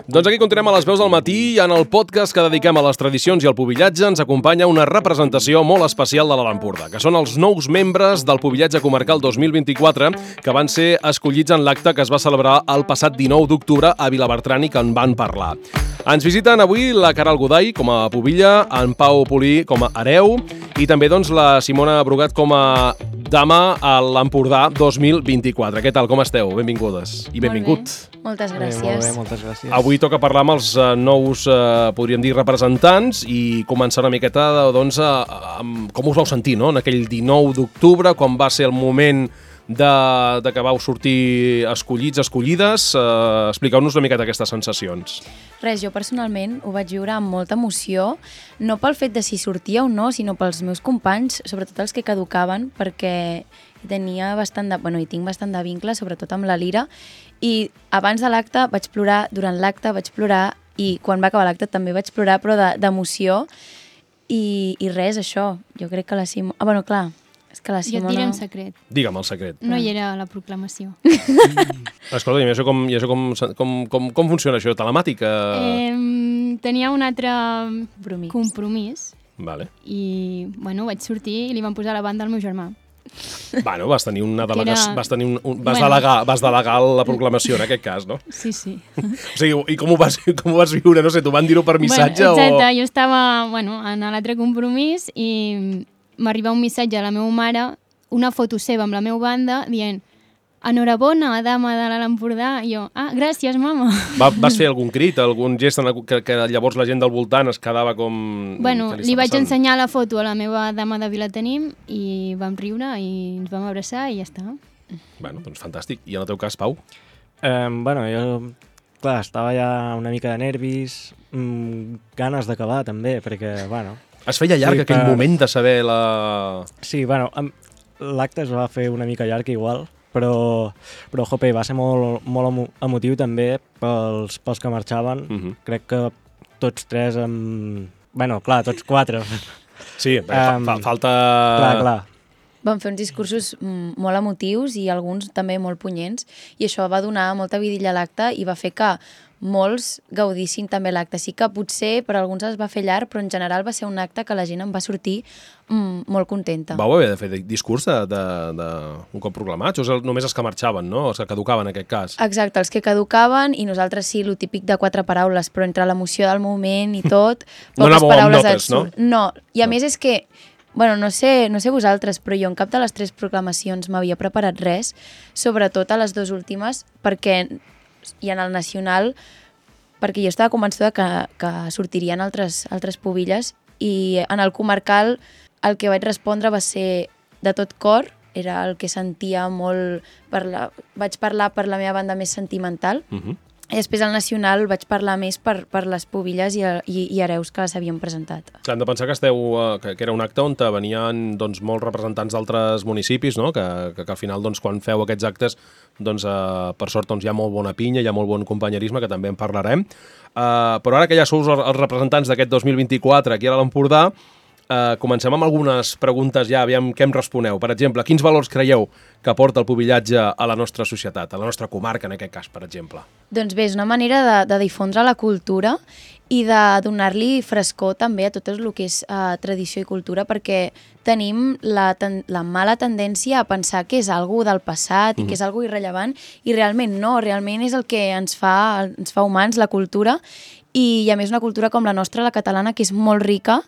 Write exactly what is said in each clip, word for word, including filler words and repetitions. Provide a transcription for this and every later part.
Doncs aquí continuem a les veus del matí i en el podcast que dediquem a les tradicions i al pubillatge ens acompanya una representació molt especial de l'Alt Empordà, que són els nous membres del Pubillatge Comarcal dos mil vint-i-quatre que van ser escollits en l'acte que es va celebrar el passat dinou d'octubre a Vilabertran i que en van parlar. Ens visiten avui la Caral Goday com a pubilla, en Pau Polí com a hereu i també doncs, la Simona Brugat com a dama a l'Empordà dos mil vint-i-quatre. Què tal, com esteu? Benvingudes i benvingut. Molt bé. Moltes gràcies. Bé, molt bé, moltes gràcies. Avui toca parlar amb els uh, nous, uh, podríem dir, representants i començar una miqueta doncs, uh, amb com us vau sentir, no? En aquell dinou d'octubre, quan va ser el moment de, de que vau sortir escollits, escollides. Uh, Expliqueu-nos una miqueta aquestes sensacions. Res, jo personalment ho vaig viure amb molta emoció, no pel fet de si sortia o no, sinó pels meus companys, sobretot els que caducaven, perquè tenia bastant de, bueno, i tinc bastant de vincle, sobretot amb la Lira, i abans de l'acte vaig plorar, durant l'acte vaig plorar, i quan va acabar l'acte també vaig plorar, però d'emoció, i, i res, això, jo crec que la Simona... Ah, bueno, clar, és que la Simona... Jo et diré un secret. Digue'm el secret. No hi era a la proclamació. Escolta, i això, com, i això com, com, com, com funciona, això? Telemàtica? Eh, tenia un altre Compromís. compromís Vale. i, bueno, vaig sortir i li van posar la banda al meu germà. Bueno, vas tenir una delegació, era... vas, tenir un, un, vas, Bueno. delegar, vas delegar la proclamació en aquest cas, no? Sí, sí. O sigui, i com ho vas, com ho vas viure? No sé, t'ho van dir-ho per missatge bueno, exacte, o...? jo estava bueno, en l'altre compromís i m'arriba un missatge a la meva mare, una foto seva amb la meva banda, dient enhorabona, dama de l'Alt Empordà. I jo, ah, gràcies, mama. Va, vas fer algun crit, algun gest en el, que, que llavors la gent del voltant es quedava com... Bueno, què li, està vaig passant? ensenyar la foto a la meva dama de Vilatenim i vam riure i ens vam abraçar i ja està. Bueno, doncs fantàstic. I en el teu cas, Pau? Eh, bueno, jo, clar, estava ja una mica de nervis, mmm, ganes d'acabar també, perquè, bueno... Es feia llarg Sí, aquell per- moment de saber la... Sí, bueno, em- l'acte es va fer una mica llarg igual, però, però jope, va ser molt, molt emo emotiu també pels, pels que marxaven. Uh -huh. Crec que tots tres amb... Bueno, clar, tots quatre. Sí, um, fa, Em, fa, falta... Clar, clar. Van fer uns discursos mm, molt emotius i alguns també molt punyents, i això va donar molta vidilla a l'acte i va fer que molts gaudissin també l'acte. Sí que potser per alguns es va fer llarg, però en general va ser un acte que la gent en va sortir mm, molt contenta. Vau haver de fer discurs de, de, de un cop proclamats? O és el, només els que marxaven, no? Els que caducaven, en aquest cas? Exacte, els que caducaven, i nosaltres sí, lo típic de quatre paraules, però entre l'emoció del moment i tot, No poques anàveu amb paraules notes, et surt. No? No, i a No. més és que, bueno, no sé, no sé vosaltres, però jo en cap de les tres proclamacions m'havia preparat res, sobretot a les dues últimes, perquè, i en el nacional, perquè jo estava convençuda que, que sortirien altres, altres pubilles, i en el comarcal el que vaig respondre va ser de tot cor, era el que sentia molt... Per la, vaig parlar per la meva banda més sentimental, Uh -huh. i després al nacional vaig parlar més per, per les pubilles i, i, i hereus que s'havien presentat. Hem de pensar que esteu eh, que, que era un acte on venien doncs, molts representants d'altres municipis, no? que, que, que al final doncs, quan feu aquests actes doncs, eh, per sort doncs, hi ha molt bona pinya, hi ha molt bon companyerisme, que també en parlarem. Eh, però ara que ja sou els representants d'aquest dos mil vint-i-quatre aquí a l'Empordà, eh, comencem amb algunes preguntes ja, aviam què em responeu. Per exemple, quins valors creieu que aporta el pubillatge a la nostra societat, a la nostra comarca en aquest cas, per exemple? Doncs bé, és una manera de, de difondre la cultura i de donar-li frescor també a tot el que és uh, tradició i cultura, perquè tenim la, ten la mala tendència a pensar que és algo del passat i que és algo irrellevant, i realment no, realment és el que ens fa, ens fa humans, la cultura, i, i a més una cultura com la nostra, la catalana, que és molt rica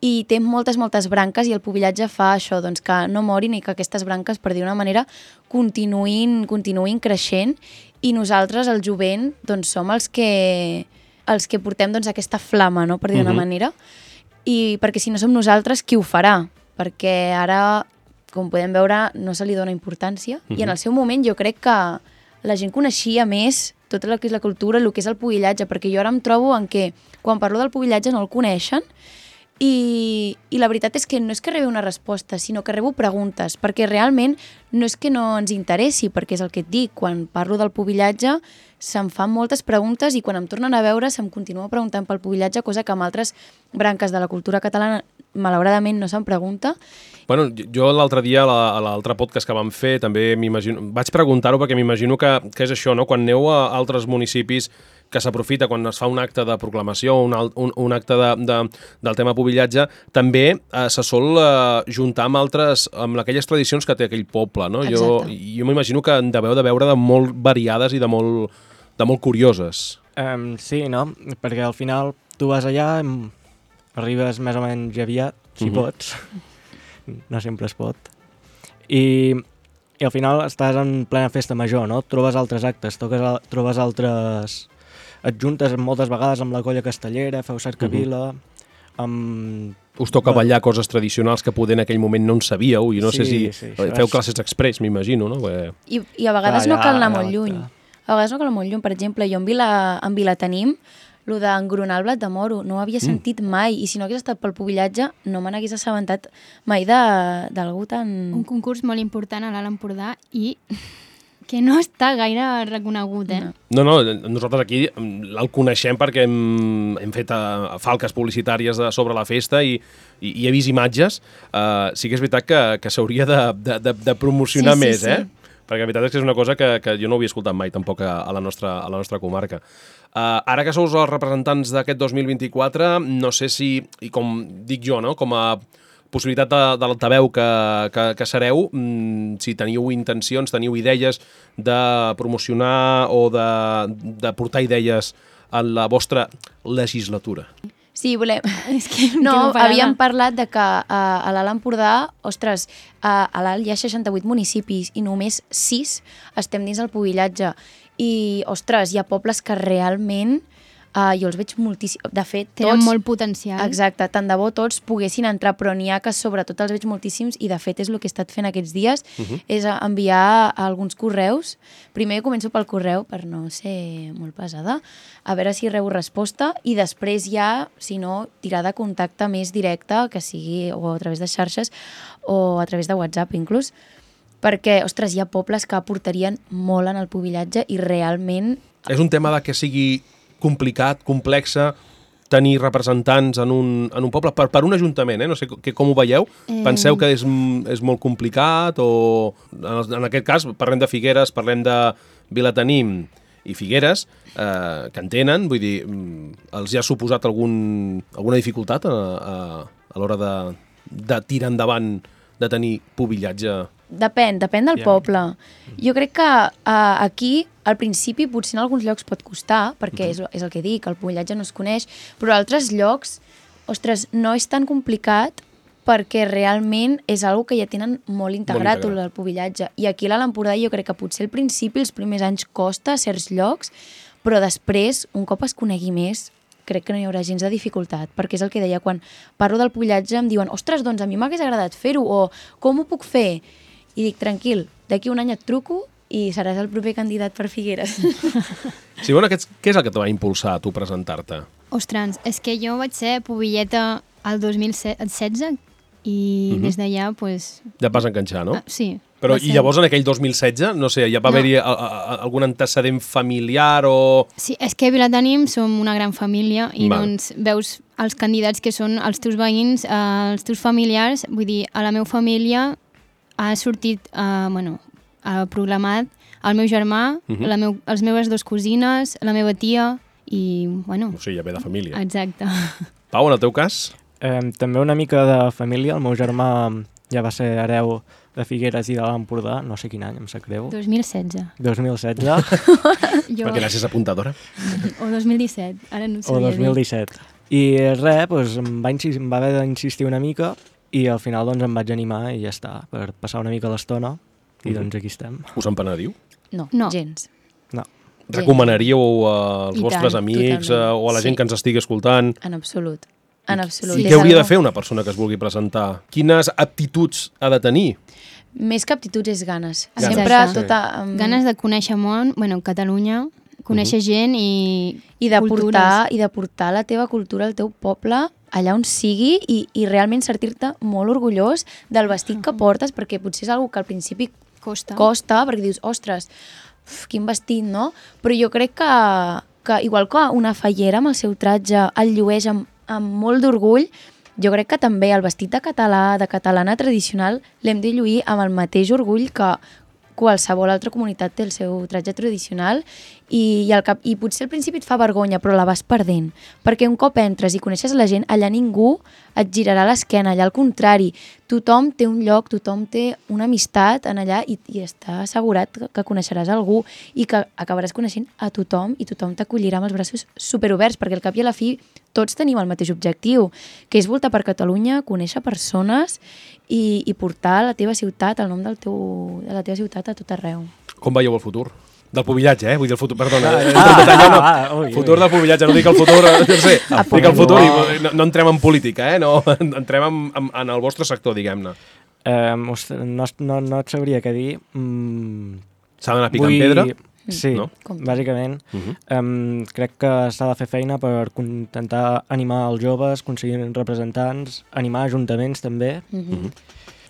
i té moltes, moltes branques, i el pubillatge fa això, doncs, que no morin i que aquestes branques, per dir una manera, continuïn, continuïn creixent, i nosaltres, el jovent, doncs, som els que, els que portem doncs, aquesta flama, no?, per dir d'una Mhm. manera, i perquè si no som nosaltres, qui ho farà? Perquè ara, com podem veure, no se li dona importància, i en el seu moment jo crec que la gent coneixia més tot el que és la cultura, el que és el pubillatge, perquè jo ara em trobo en què, quan parlo del pubillatge no el coneixen, I, i la veritat és que no és que rebi una resposta, sinó que rebo preguntes, perquè realment no és que no ens interessi, perquè és el que et dic, quan parlo del pubillatge se'm fan moltes preguntes, i quan em tornen a veure se'm continua preguntant pel pubillatge, cosa que amb altres branques de la cultura catalana malauradament no se'n pregunta. Bueno, jo l'altre dia, a l'altre podcast que vam fer, també m'imagino, vaig preguntar-ho perquè m'imagino que, que és això, no? Quan aneu a altres municipis que s'aprofita quan es fa un acte de proclamació, un, un, un acte de, de, del tema pubillatge, també eh, se sol eh, juntar amb altres, amb aquelles tradicions que té aquell poble, no? Jo, jo m'imagino que en deveu de veure de molt variades i de molt, de molt curioses. Um, sí, no? Perquè al final tu vas allà, arribes més o menys aviat, si uh-huh. pots. No sempre es pot. I, i al final estàs en plena festa major, no? Trobes altres actes, toques, trobes altres... Et juntes moltes vegades amb la colla castellera, feu cercavila... Uh-huh. amb... Us toca ballar coses tradicionals que poder en aquell moment no en sabíeu, i no sí, sé si... Sí, feu classes express, m'imagino, no? Perquè... I, I a vegades ah, no cal anar ja, molt lluny. A vegades no cal anar molt lluny. Per exemple, jo en Vila, en Vilatenim, el d'engronar el blat de moro, no ho havia sentit mm. mai, i si no hagués estat pel pubillatge no me n'hagués assabentat mai d'algú tan... Un concurs molt important a l'Alt Empordà i que no està gaire reconegut, eh? No, no, nosaltres aquí el coneixem perquè hem, hem fet uh, falques publicitàries de, sobre la festa i, i, i he vist imatges. Uh, sí que és veritat que, que s'hauria de, de, de, de promocionar sí, sí, més, sí. eh? Perquè la veritat és que és una cosa que, que jo no havia escoltat mai tampoc a, a, la, nostra, a la nostra comarca. Uh, ara que sou els representants d'aquest dos mil vint-i-quatre, no sé si, i com dic jo, no? Com a possibilitat de, de l'altaveu que, que, que sereu, mm, si teniu intencions, teniu idees de promocionar o de, de portar idees en la vostra legislatura. Sí, volem... És que no, havíem parlat de que uh, a l'Alt Empordà, ostres, uh, a l'Alt hi ha seixanta-vuit municipis i només sis estem dins del pubillatge. I, ostres, hi ha pobles que realment uh, jo els veig moltíssim... De fet, tots... Tenen molt potencial. Exacte, tant de bo tots poguessin entrar, però n'hi ha que sobretot els veig moltíssims i de fet és el que he estat fent aquests dies, uh-huh. és enviar alguns correus. Primer començo pel correu, per no ser molt pesada, a veure si rebo resposta i després ja, si no, tirar de contacte més directe, que sigui o a través de xarxes o a través de WhatsApp inclús, perquè, ostres, hi ha pobles que aportarien molt en el pubillatge i realment... És un tema de que sigui complicat, complexa, tenir representants en un, en un poble, per, per un ajuntament, eh? No sé que, com ho veieu. Eh... Penseu que és, és molt complicat o... En, en aquest cas, parlem de Figueres, parlem de Vilatenim i Figueres, eh, que en tenen, vull dir, els hi ha suposat algun, alguna dificultat a, a, a l'hora de, de tirar endavant, de tenir pubillatge? Depèn, depèn del yeah. poble. Jo crec que uh, aquí, al principi, potser en alguns llocs pot costar, perquè mm-hmm. és, és el que dic, el pubillatge no es coneix, però a altres llocs, ostres, no és tan complicat perquè realment és algo que ja tenen molt integrat, molt integrat. El pubillatge. I aquí a l'Alt Empordà jo crec que potser al principi, els primers anys, costa a certs llocs, però després, un cop es conegui més, crec que no hi haurà gens de dificultat, perquè és el que deia, quan parlo del pubillatge em diuen, ostres, doncs a mi m'hagués agradat fer-ho, o com ho puc fer? I dic, tranquil, d'aquí un any et truco i seràs el proper candidat per Figueres. Sí, bueno, què és el que te va impulsar a tu presentar-te? Ostres, és que jo vaig ser pubilleta el dos mil setze i uh-huh. des d'allà, pues... Ja et vas enganxar, no? Ah, sí. Però i llavors en aquell dos mil setze, no sé, ja va no. haver-hi a, a, a, algun antecedent familiar o... Sí, és que a Vilatenim som una gran família i Val. doncs veus els candidats que són els teus veïns, eh, els teus familiars, vull dir, a la meva família ha sortit, eh, bueno, ha proclamat el meu germà, uh-huh. la meu, les meves dues cosines, la meva tia i, bueno... O sigui, ja ve de família. Exacte. Pau, en el teu cas? Eh, també una mica de família. El meu germà ja va ser hereu de Figueres i de l'Alt Empordà, no sé quin any, em sap greu. dos mil setze. dos mil setze. jo... Perquè gràcies apuntadora. O dos mil disset, ara no ho sabia O dos mil disset. I res, doncs, em, va insistir, em va haver d'insistir una mica i al final doncs, em vaig animar i ja està, per passar una mica l'estona i doncs aquí estem. Us en penediu? No, no. gens. No. Recomanaríeu als I vostres tant, amics totalment. o a la gent sí. que ens estigui escoltant? En absolut. En absolut. I què hauria de fer una persona que es vulgui presentar? Quines aptituds ha de tenir? Més que aptituds és ganes. Exacte. Sempre tota... Um... Ganes de conèixer món, bueno, Catalunya, conèixer uh-huh. gent i, I de portar, i de portar la teva cultura al teu poble allà on sigui i, i realment sentir-te molt orgullós del vestit que portes, perquè potser és una que al principi costa, costa perquè dius, ostres, uf, quin vestit, no? Però jo crec que, que igual que una fallera amb el seu tratge el llueix amb, amb molt d'orgull, jo crec que també el vestit de català, de catalana tradicional, l'hem de lluir amb el mateix orgull que qualsevol altra comunitat té el seu tratge tradicional i, i, el cap, i potser al principi et fa vergonya, però la vas perdent. Perquè un cop entres i coneixes la gent, allà ningú et girarà l'esquena, allà al contrari. Tothom té un lloc, tothom té una amistat en allà i, i està assegurat que, que coneixeràs algú i que acabaràs coneixent a tothom i tothom t'acollirà amb els braços superoberts, perquè al cap i a la fi tots tenim el mateix objectiu, que és voltar per Catalunya, conèixer persones i, i portar la teva ciutat, el nom del teu, de la teva ciutat a tot arreu. Com veieu el futur? Del pubillatge, eh? Vull dir el futur, perdona. Ah, eh? ah, no. ah, ui, futur ui. del pubillatge, no dic el futur, no sé, Ah, dic el futur i no. no, no entrem en política, eh? No, entrem en, en, en el vostre sector, diguem-ne. Um, ostres, no, no, no et sabria què dir. Mm, S'ha d'anar picant vull... pedra? Sí, No? no? bàsicament. Uh -huh. um, crec que s'ha de fer feina per intentar animar els joves, aconseguir representants, animar ajuntaments també. Mm -hmm.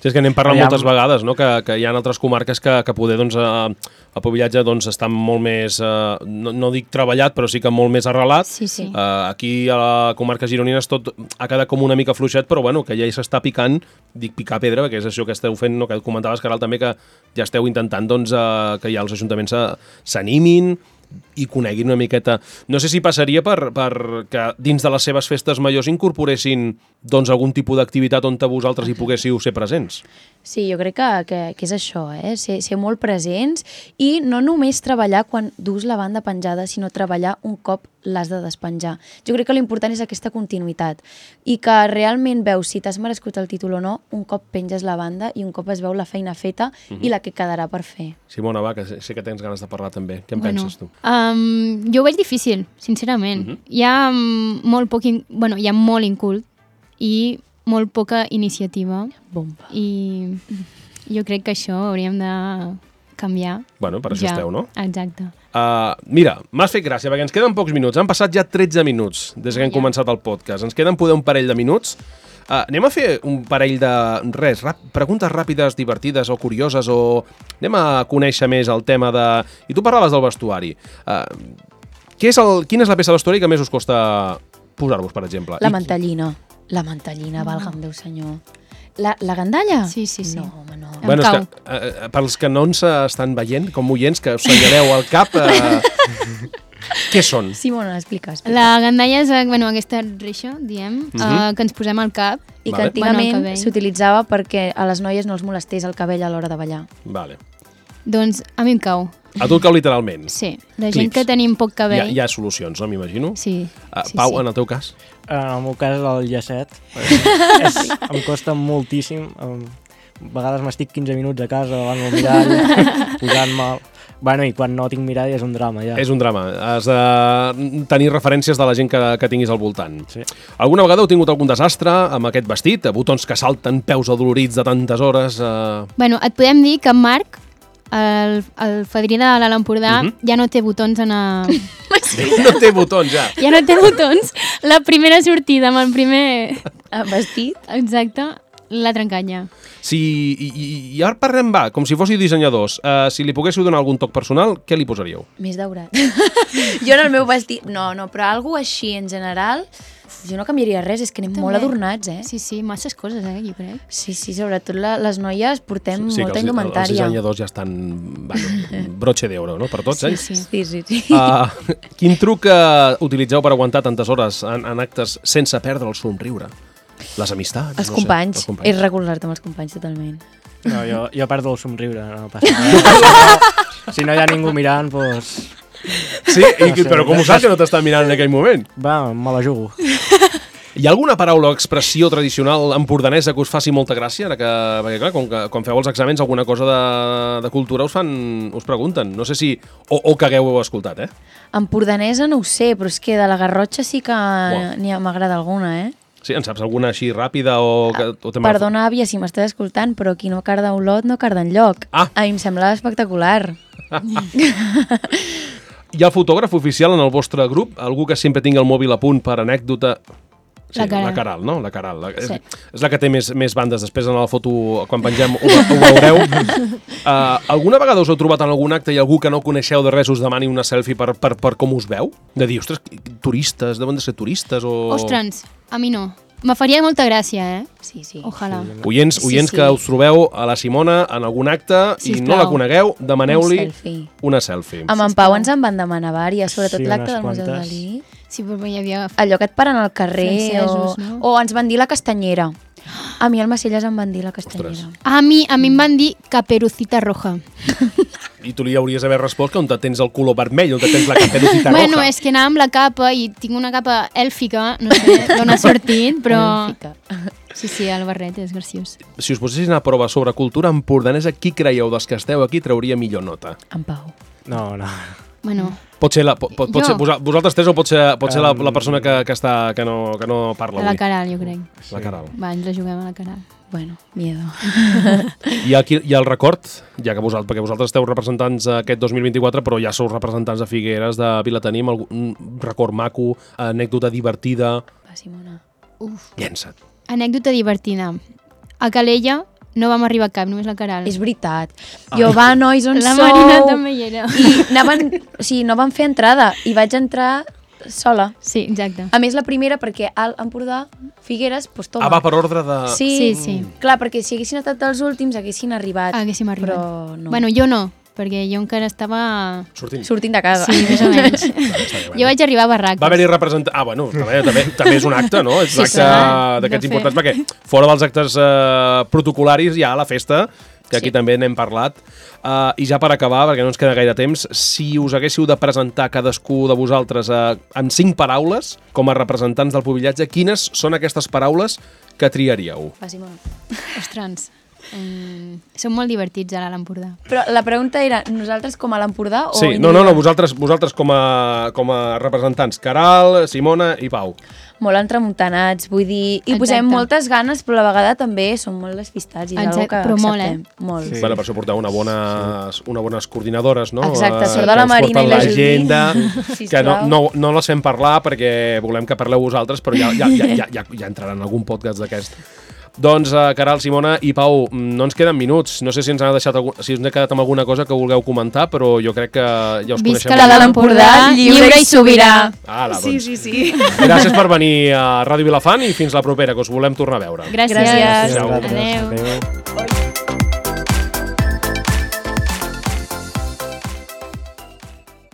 Sí, és que n'hem parlat Aviam. moltes vegades, no? que, que hi ha altres comarques que, que poder, doncs, eh, el pubillatge doncs, està molt més, eh, no, no dic treballat, però sí que molt més arrelat. Sí, sí. Uh, aquí a la comarca gironines tot ha quedat com una mica fluixet, però bueno, que ja hi s'està picant, dic picar pedra, perquè és això que esteu fent, no? Que comentaves, Caral, també que ja esteu intentant doncs, uh, que ja els ajuntaments s'animin i coneguin una miqueta. No sé si passaria per, per que dins de les seves festes majors incorporessin doncs, algun tipus d'activitat on vosaltres hi poguéssiu ser presents. Sí, jo crec que, que, que és això, eh? ser, ser molt presents i no només treballar quan dus la banda penjada, sinó treballar un cop l'has de despenjar. Jo crec que l'important és aquesta continuïtat i que realment veus si t'has merescut el títol o no un cop penges la banda i un cop es veu la feina feta uh-huh. i la que quedarà per fer. Simona, va, que sé que tens ganes de parlar també. Què en bueno, penses tu? Um, jo ho veig difícil, sincerament. Uh-huh. Hi ha um, molt poc, in... bueno, hi ha molt incult i molt poca iniciativa. Bomba. I jo crec que això hauríem de canviar. Bueno, per això ja. esteu, no? Exacte. Uh, mira, m'has fet gràcia, perquè ens queden pocs minuts. Han passat ja tretze minuts des que hem Ja. començat el podcast. Ens queden poder un parell de minuts. Uh, anem a fer un parell de, res, rap, preguntes ràpides, divertides o curioses, o anem a conèixer més el tema de... I tu parlaves del vestuari. Uh, què és el, quina és la peça de vestuari que més us costa posar-vos, per exemple? La I- mantellina. La mantellina, valga'm Déu senyor. La, la gandalla? Sí, sí, sí. No, home, no. Em Bueno, és cau. que, uh, pels que no ens estan veient, com oients, que us senyaleu al cap, uh, què són? Simona, explica, explica. La gandalla és bueno, aquesta reixa, diem, Mhm. uh, que ens posem al cap. I que Vale. antigament Bueno, el cabell. s'utilitzava perquè a les noies no els molestés el cabell a l'hora de ballar. Vale. Doncs a mi em cau. A tu et cau literalment. Sí, la Clips. gent que tenim poc Hi ha, cabell. hi ha solucions, no? M'imagino. Sí, Uh, sí, Pau, sí. en el teu cas? En el meu cas, el llacet. és, em costa moltíssim. Em, a vegades m'estic quinze minuts a casa davant del mirall, posant-me... Bueno, i quan no tinc mirall és un drama, ja. És un drama. Has de tenir referències de la gent que, que tinguis al voltant. Sí. Alguna vegada heu tingut algun desastre amb aquest vestit? Botons que salten, peus adolorits de tantes hores... Uh... Bueno, et podem dir que en Marc, el, el fadrí de l'Alt Empordà, Mhm. ja no té botons en a... No té botons, ja. ja no té botons. La primera sortida amb el primer... Ah, vestit? Exacte, l'ha trencat ja. Si, i, i, I ara parlem, va, com si fóssiu dissenyadors. Uh, si li poguéssiu donar algun toc personal, què li posaríeu? Més daurat. Jo en el meu vestit... No, no, però algo així en general... Jo no canviaria res, és que anem També. molt adornats, eh? Sí, sí, masses coses, eh, jo crec. Sí, sí, sobretot la, les noies portem sí, molta que els, els indumentària. dissenyadors ja estan... Bueno, broche d'euro, no?, per tots, eh? Sí, sí. Sí, sí, sí. Uh, quin truc uh, utilitzeu per aguantar tantes hores en, en actes sense perdre el somriure? Les amistats? Els no companys. Sé, els És companys. recolzar-te amb els companys, totalment. No, jo, jo perdo el somriure, no passa res. Si no hi ha ningú mirant, doncs... Sí, i, No sé, però com ho saps que no t'estan mirant en aquell moment? Va, me la jugo. Hi ha alguna paraula o expressió tradicional empordanesa que us faci molta gràcia? Ara que, perquè clar, com que, quan feu els exàmens alguna cosa de, de cultura us fan, us pregunten. No sé si... O, o que hagueu escoltat, eh? Empordanesa no ho sé, però és que de la Garrotxa sí que Uau. n'hi ha- m'agrada alguna, eh? Sí, en saps alguna així ràpida o... Que, o tema- Perdona, àvia, si m'estàs escoltant, però qui no carda Olot no carda enlloc. Ah. A mi em sembla espectacular. Hi ha el fotògraf oficial en el vostre grup? Algú que sempre tingui el mòbil a punt per anècdota? Sí, La Caral. la Caral, no? La Caral. La, Sí. és, és la que té més, més bandes. Després en la foto, quan pengem, ho, ho veureu. Uh, alguna vegada us heu trobat en algun acte i algú que no coneixeu de res us demani una selfie per, per, per com us veu? De dir, ostres, turistes, deuen de ser turistes o... Ostres, a mi no. Me faria molta gràcia, eh? Sí, sí. Ojalà. Sí, Oients, Sí, oients sí. que us trobeu a la Simona en algun acte i Sisplau. no la conegueu, demaneu-li Un selfie. una selfie. Amb en Pau ens en van demanar vàries, sobretot Sí, l'acte unes del Museu quantes. Dalí. Sí, però hi havia... Allò que et paren al carrer Francesos, o, no? o ens van dir la castanyera. A mi al Macelles em van dir la castanyera. A mi, a mi em van dir Caperucita Roja. I tu li hauries d'haver respost que on te tens el color vermell, on te tens la caperucita roja. Bueno, és que anava amb la capa i tinc una capa èlfica, no sé d'on ha sortit, però... Èlfica. Sí, sí, el barret és graciós. Si us posessin a prova sobre cultura empordanesa, qui creieu dels que esteu aquí trauria millor nota? En Pau. No, no. Bueno, Pot ser, la, pot, pot Jo. ser vosa- vosaltres tres o pot ser, pot ser la, Um, la persona que, que, està, que, no, que no parla a la avui? Caral, jo crec. La Caral. Va, ens la juguem a la Caral. Bueno, miedo. I aquí hi ha el record, ja que vosaltres, perquè vosaltres esteu representants aquest dos mil vint-i-quatre, però ja sou representants de Figueres, de Vilatenim, algun record maco, anècdota divertida... Va, Simona. Uf. Llença't. Anècdota divertida. A Calella no vam arribar a cap, només la Caral. És veritat. Jo, va, nois, on La sou? Marina també hi era. I anaven, o sigui, no van fer entrada i vaig entrar sola. Sí, exacte. A més, la primera, perquè al Empordà, Figueres, doncs toma. Ah, va per ordre de... Sí, Sí, sí. Clar, perquè si haguessin estat els últims, haguessin arribat. Haguéssim arribat. Però no. Bueno, jo no, perquè jo encara estava... Sortint. Sortint de casa. Sí, més o menys. Jo vaig arribar a Barraques. Va haver-hi representant... Ah, bueno, també, també, també és un acte, no? És un Sí, acte clar, d'aquests de fer. importants, perquè fora dels actes eh, protocolaris hi ha la festa, que aquí Sí. també n'hem parlat. Uh, I ja per acabar, perquè no ens queda gaire temps, si us haguéssiu de presentar cadascú de vosaltres uh, en cinc paraules, com a representants del pubillatge, quines són aquestes paraules que triaríeu? Va, Simona. Ostres, um, som molt divertits ara a l'Empordà. Però la pregunta era, nosaltres com a l'Empordà o... Sí, no, no, no, vosaltres, vosaltres com, a, com a representants, Caral, Simona i Pau. Molt entremuntanats, vull dir... I Exacte. posem moltes ganes, però a la vegada també som molt despistats i és Exacte, una que però molt, acceptem. Molt, Sí. eh? Bueno, per això porteu una bona, una bones coordinadores, no? Exacte, Eh, sort de que la us Marina porten i la Judit. l'agenda, Sisplau. que no, no, no les fem parlar perquè volem que parleu vosaltres, però ja, ja, ja, ja, ja, ja entraran en algun podcast d'aquest. Doncs, uh, Caral, Simona i Pau, no ens queden minuts. No sé si ens ha deixat algun, si us n'he quedat amb alguna cosa que vulgueu comentar, però jo crec que ja us Visca coneixem. la de de l'Empordà, l'Empordà, lliure lliure i i sobirà. Ala, Sí, doncs. sí, sí. Gràcies per venir a Ràdio Vilafant i fins la propera, que us volem tornar a veure. Gràcies. Gràcies. Adéu. Adéu. Adéu.